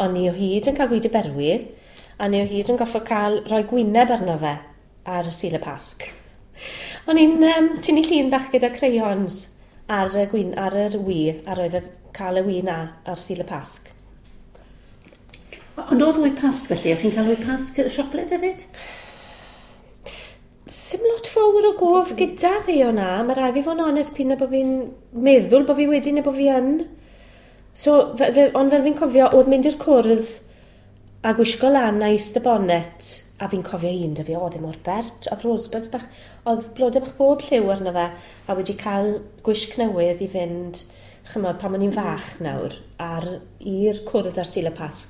O'n i o hyd yn cael gwydi berwi, a ni o hyd yn goffo cael rhoi gwyneb arno fe ar y Sul y Pasg. O'n i'n tynnu llun bach gyda crayons ar y gwyn, ar yr wy, a roi fe cael y wy na ar Sul y Pasg. Ond oedd wy Pasg felly, o'ch chi'n cael wy Pasg siocled hefyd? Sim lot fawr o gof gyda fi o na. Mae rai fi fod yn onest pyn bod fi'n meddwl bod fi wedi neu bod fi yn. So, fe, fe, ond fel fi'n cofio, oedd mynd i'r cwrdd a gwisgo lan a Easter bonnet, a fi'n cofio un da fi, oedd e mor bert, oedd rosebuds bach, oedd blodau bach bob lliw arno fe, a wedi cael gwisg newydd i fynd, chymod, pan o'n i'n fach nawr, ar i'r cwrdd ar Sul y Pasg.